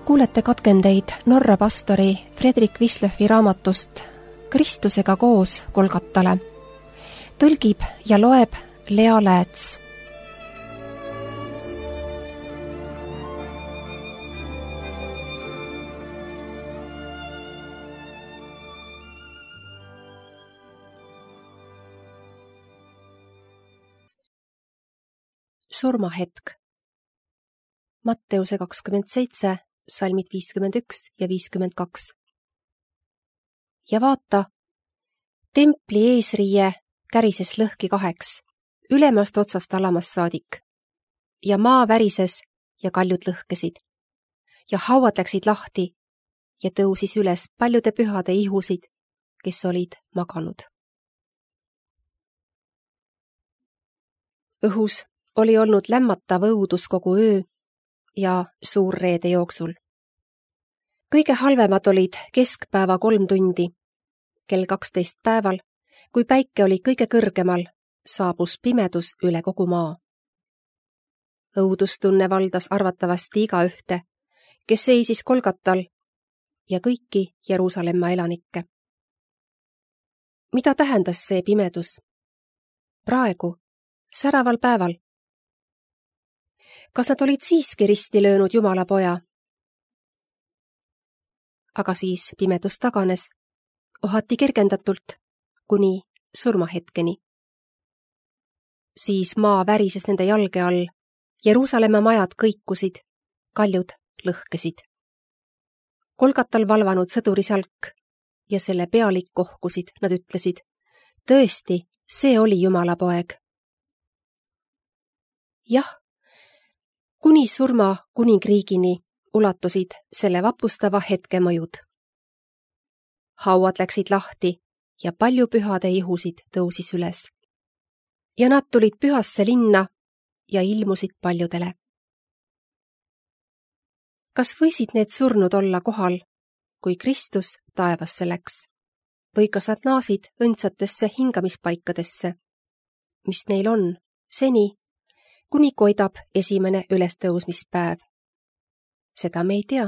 Kuulete katkendeid Norra pastori Fredrik Wislöfi raamatust Kristusega koos Golgatale. Tõlgib ja loeb Lea Lääts. Surmahetk. Matteuse 27, salmid 51 ja 52. Ja vaata, templi eesriie kärises lõhki kaheks, ülemast otsast alamast saadik. Ja maa värises ja kaljud lõhkesid. Ja hauad läksid lahti ja tõusis üles paljude pühade ihusid, kes olid maganud. Õhus oli olnud lämmatav õudus kogu öö ja suurreede jooksul. Kõige halvemad olid keskpäeva 3 tundi. Kell 12 päeval, kui päike oli kõige kõrgemal, saabus pimedus üle kogu maa. Õudustunne valdas arvatavasti igaühte, kes seisis Golgatal ja kõiki Jeruusalemma elanikke. Mida tähendas see pimedus? Praegu, säraval päeval. Kas nad olid siiski risti löönud Jumala poja? Aga siis pimedus taganes, ohati kergendatult, kuni surmahetkeni. Siis maa värises nende jalge all, Jeruusalemma majad kõikusid, kaljud lõhkesid. Golgatal valvanud sõdurisalk ja selle pealik kohkusid, nad ütlesid, tõesti, see oli Jumala poeg. Jah, kuni surma kuningriigini ulatusid selle vapustava hetke mõjud. Hauad läksid lahti ja palju pühade ihusid tõusis üles. Ja nad tulid pühasse linna ja ilmusid paljudele. Kas võisid need surnud olla kohal, kui Kristus taevasse läks? Või kas nad naasid õndsatesse hingamispaikadesse, mis neil on seni, kuni koidab esimene ülestõusmispäev? Seda me ei tea.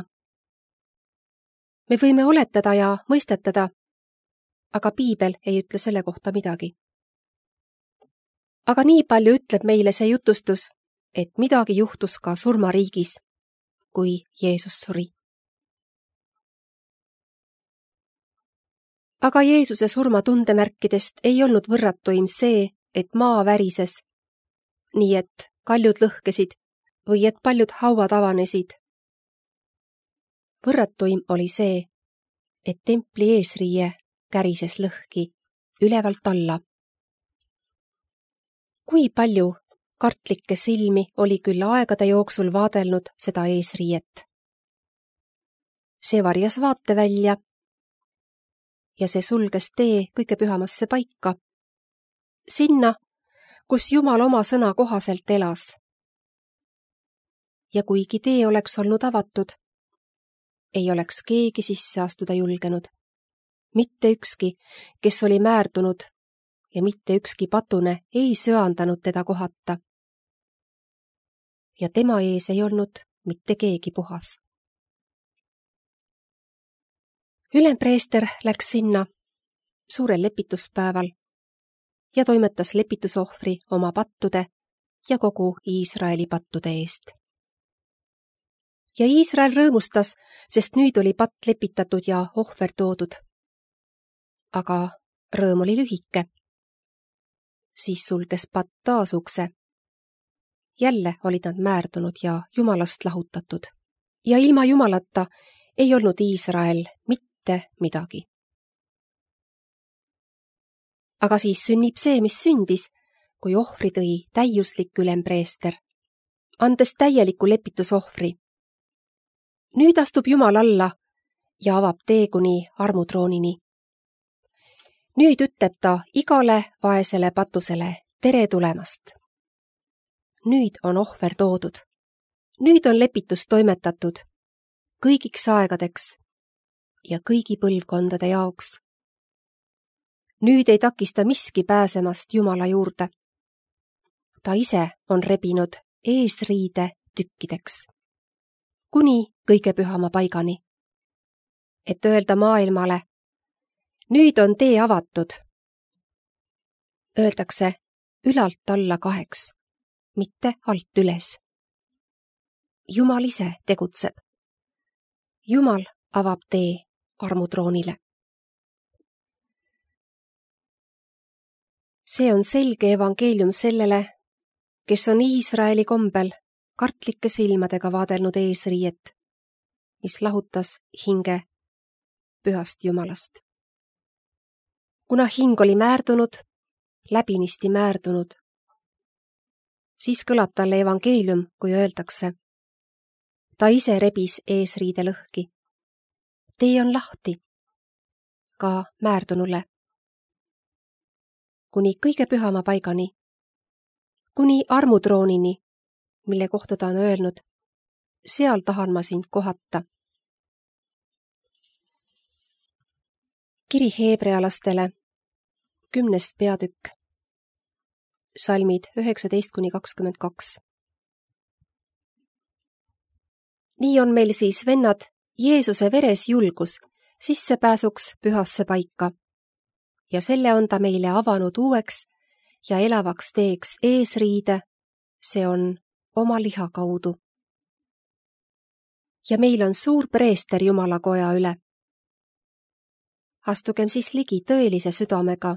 Me võime oletada ja mõistetada, aga Piibel ei ütle selle kohta midagi. Aga nii palju ütleb meile see jutustus, et midagi juhtus ka surmariigis, kui Jeesus suri. Aga Jeesuse surma tundemärkidest ei olnud võrratuim see, et maa värises, nii et kaljud lõhkesid või et paljud hauad avanesid. Võrratuim oli see, et templi eesriie kärises lõhki ülevalt alla. Kui palju kartlikke silmi oli küll aegade jooksul vaadelnud seda eesriiet. See varjas vaate välja ja see sulges tee kõige pühamasse paika, sinna, kus Jumal oma sõna kohaselt elas. Ja kuigi tee oleks olnud avatud, ei oleks keegi sisse astuda julgenud. Mitte ükski, kes oli määrdunud ja mitte ükski patune ei söandanud teda kohata. Ja tema ees ei olnud mitte keegi puhas. Ülempreester läks sinna suurel lepituspäeval ja toimetas lepitusohvri oma pattude ja kogu Iisraeli pattude eest. Ja Iisrael rõõmustas, sest nüüd oli patt lepitatud ja ohver toodud. Aga rõõm oli lühike. Siis sulges patt taas ukse. Jälle olid nad määrdunud ja Jumalast lahutatud. Ja ilma Jumalata ei olnud Iisrael mitte midagi. Aga siis sünnib see, mis sündis, kui ohvri tõi täiuslik ülempreester, andes täieliku lepitusohvri. Nüüd astub Jumal alla ja avab tee kuni armutroonini. Nüüd ütleb ta igale vaesele patusele tere tulemast. Nüüd on ohver toodud. Nüüd on lepitus toimetatud kõigiks aegadeks ja kõigi põlvkondade jaoks. Nüüd ei takista miski pääsemast Jumala juurde. Ta ise on rebinud eesriide tükkideks. kuni kõige pühama paigani. Et öelda maailmale, nüüd on tee avatud. Öeldakse ülalt alla 2, mitte alt üles. Jumal ise tegutseb. Jumal avab tee armutroonile. See on selge evangeelium sellele, kes on Iisraeli kombel kartlike silmadega vaadelnud eesriiet, mis lahutas hinge pühast Jumalast. Kuna hing oli määrdunud, läbinisti määrdunud, siis kõlab talle evangeelium, kui öeldakse. Ta ise rebis eesriide lõhki. Tee on lahti, ka määrdunule. Kuni kõige pühama paigani, kuni armutroonini, mille kohta ta on öelnud, seal tahan ma sind kohata. Kiri heebrealastele, 10. peatükk, salmid 19–22. Nii on meil siis, vennad, Jeesuse veres julgus sissepääsuks pühasse paika ja selle on ta meile avanud uueks ja elavaks teeks eesriide, see on oma liha kaudu. Ja meil on suur preester Jumala koja üle. Astugem siis ligi tõelise südamega,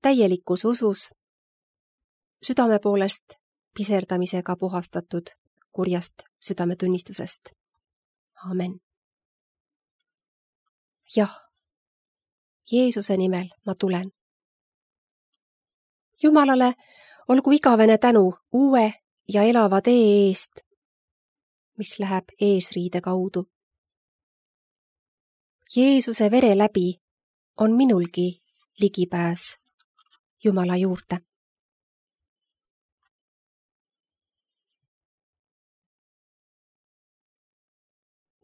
täielikus usus, südame poolest piserdamisega puhastatud kurjast südametunnistusest. Amen. Jah, Jeesuse nimel ma tulen. Jumalale olgu igavene tänu uue ja elava tee eest, mis läheb eesriide kaudu. Jeesuse vere läbi on minulgi ligipääs Jumala juurde.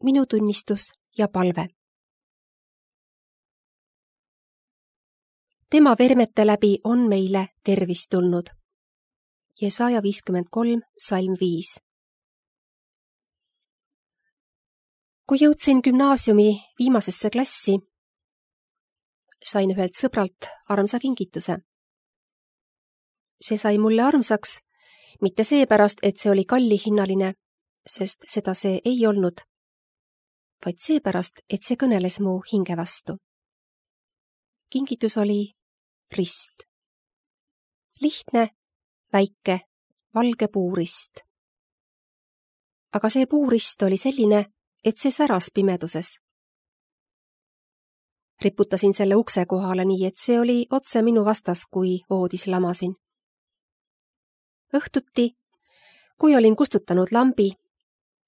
Minu tunnistus ja palve. Tema vermete läbi on meile tervis tulnud. Jesaja 53, salm 5. Kui jõudsin gümnaasiumi viimasesse klassi, sain ühelt sõbralt armsa kingituse. See sai mulle armsaks, mitte seepärast, et see oli kallihinnaline, sest seda see ei olnud, vaid seepärast, et see kõneles mu hinge vastu. Kingitus oli rist. Lihtne, väike, valge puurist. Aga see puurist oli selline, et see säras pimeduses. Riputasin selle ukse kohale nii, et see oli otse minu vastas, kui voodis lamasin. Õhtuti, kui olin kustutanud lambi,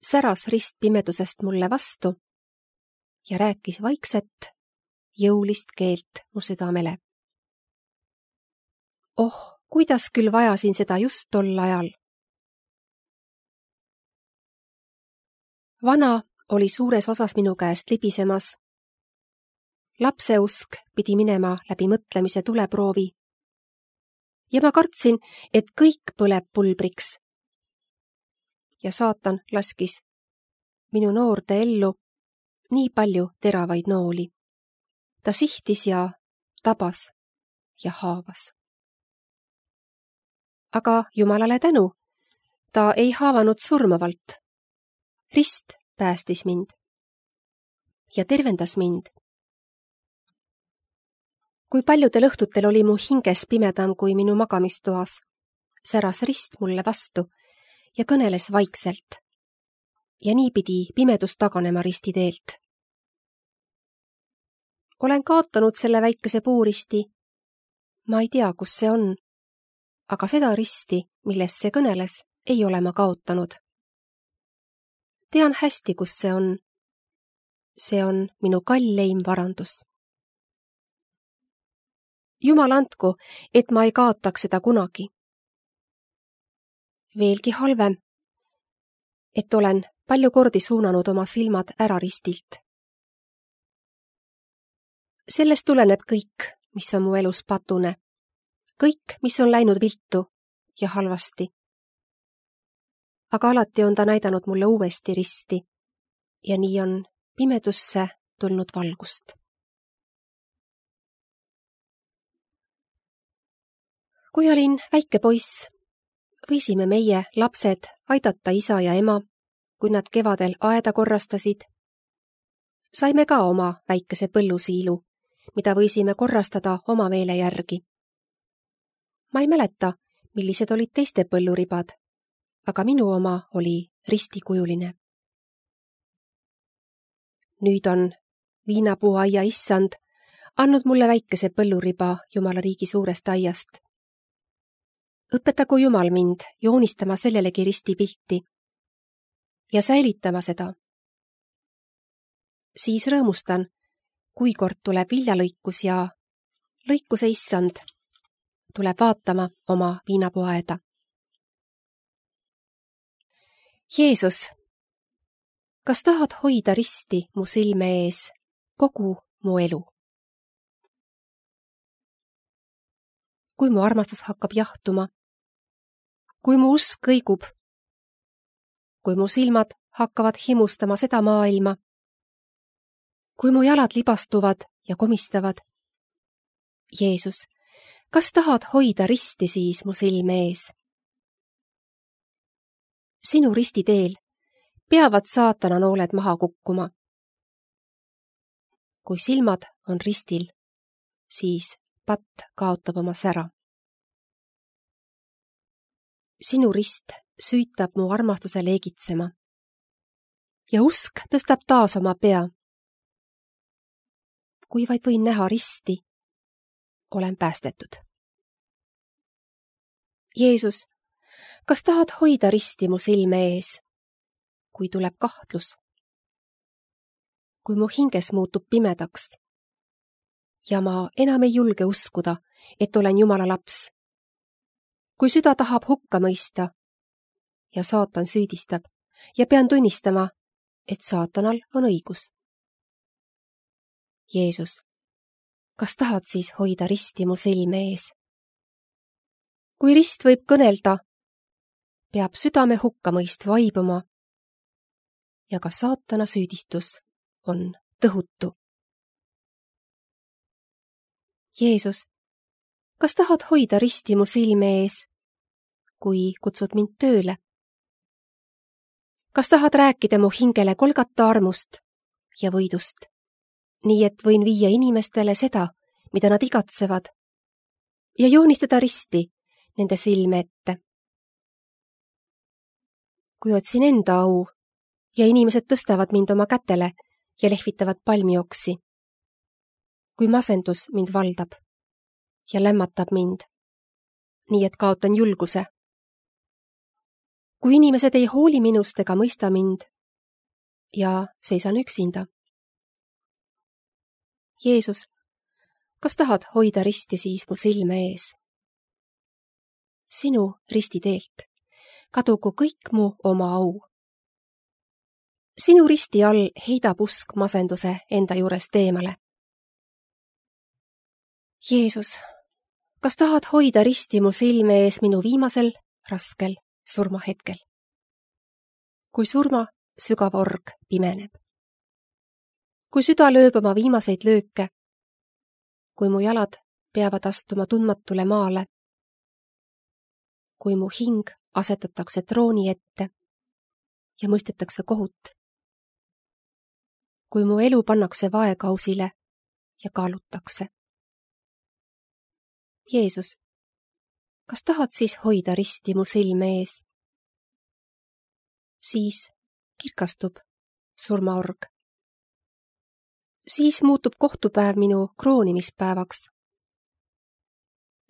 säras rist pimedusest mulle vastu ja rääkis vaikset, jõulist keelt mu südamele. Oh, kuidas küll vajasin seda just tol ajal. Vana oli suures osas minu käest libisemas. Lapseusk pidi minema läbi mõtlemise tuleproovi. Ja ma kartsin, et kõik põleb pulbriks. Ja saatan laskis minu noorde ellu nii palju teravaid nooli. Ta sihtis ja tabas ja haavas. Aga Jumalale tänu, ta ei haavanud surmavalt. Rist päästis mind ja tervendas mind. Kui paljudel õhtutel oli mu hinges pimedam kui minu magamistoas, säras rist mulle vastu ja kõneles vaikselt. Ja nii pidi pimedus taganema risti teelt. Olen kaotanud selle väikese puuristi. Ma ei tea, kus see on, aga seda risti, millest see kõneles, ei ole ma kaotanud. Tean hästi, kus see on. See on minu kalleim varandus. Jumal andku, et ma ei kaotaks seda kunagi. Veelgi halvem, et olen palju kordi suunanud oma silmad ära ristilt. Sellest tuleneb kõik, mis on mu elus patune. Kõik, mis on läinud viltu ja halvasti. aga alati on ta näidanud mulle uuesti risti ja nii on pimedusse tulnud valgust. Kui olin väike poiss, võisime meie, lapsed, aidata isa ja ema, kui nad kevadel aeda korrastasid. Saime ka oma väikese põllusiilu, mida võisime korrastada oma meele järgi. Ma ei mäleta, millised olid teiste põlluribad, aga minu oma oli ristikujuline. Nüüd on viinapuuaia issand andnud mulle väikese põlluriba Jumala riigi suurest aiast. Õpetagu Jumal mind joonistama sellelegi ristipilti ja säilitama seda. Siis rõõmustan, kui kord tuleb viljalõikus ja lõikuse issand tuleb vaatama oma viinapuuaeda. Jeesus, kas tahad hoida risti mu silme ees kogu mu elu? Kui mu armastus hakkab jahtuma, kui mu usk kõigub, kui mu silmad hakkavad himustama seda maailma, kui mu jalad libastuvad ja komistavad. Jeesus, kas tahad hoida risti siis mu silme ees? Sinu ristiteel peavad saatana nooled maha kukkuma. Kui silmad on ristil, siis patt kaotab oma sära. Sinu rist süütab mu armastuse leegitsema ja usk tõstab taas oma pea. Kui vaid võin näha risti, olen päästetud. Jeesus, kas tahad hoida risti mu silme ees, kui tuleb kahtlus? Kui mu hinges muutub pimedaks ja ma enam ei julge uskuda, et olen Jumala laps. Kui süda tahab hukka mõista ja saatan süüdistab ja pean tunnistama, et saatanal on õigus. Jeesus, kas tahad siis hoida risti mu silme ees? Kui rist võib kõnelda, peab südame hukkamõist vaibuma ja ka saatana süüdistus on tõhutu. Jeesus, kas tahad hoida risti mu silme ees, kui kutsud mind tööle? Kas tahad rääkida mu hingele Golgata armust ja võidust, nii et võin viia inimestele seda, mida nad igatsevad, ja joonistada risti nende silme ette? Kui otsin enda au ja inimesed tõstavad mind oma kätele ja lehvitavad palmioksi, kui masendus mind valdab ja lämmatab mind, nii et kaotan julguse, kui inimesed ei hooli minust ega mõista mind ja seisan üksinda. Jeesus, kas tahad hoida risti siis mu silme ees? Sinu ristiteelt kadugu kõik mu oma au. Sinu risti all heidab usk masenduse enda juurest eemale. Jeesus, kas tahad hoida risti mu silme ees minu viimasel raskel surmahetkel? Kui surma sügav org pimeneb. Kui süda lööb oma viimaseid lööke, kui mu jalad peavad astuma tundmatule maale, kui mu hing asetatakse trooni ette ja mõistetakse kohut, kui mu elu pannakse vaekausile ja kaalutakse. Jeesus, kas tahad siis hoida risti mu silme ees? Siis kirkastub surmaorg. Siis muutub kohtupäev minu kroonimispäevaks.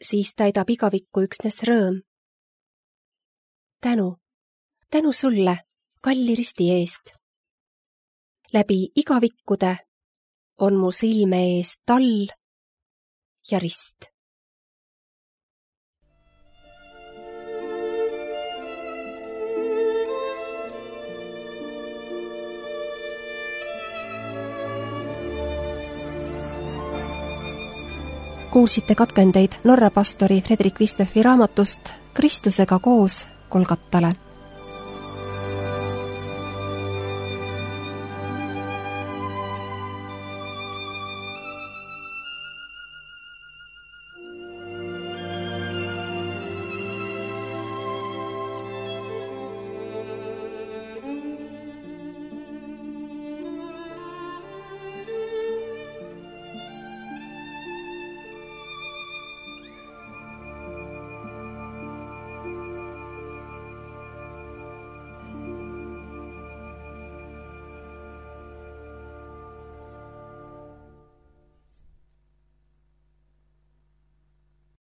Siis täidab igavikku üksnes rõõm. Tänu sulle, kalli risti eest. Läbi igavikkude on mu silme ees tall ja rist. Kuulsite katkendeid Norra pastori Fredrik Vistöfi raamatust Kristusega koos Golgatale.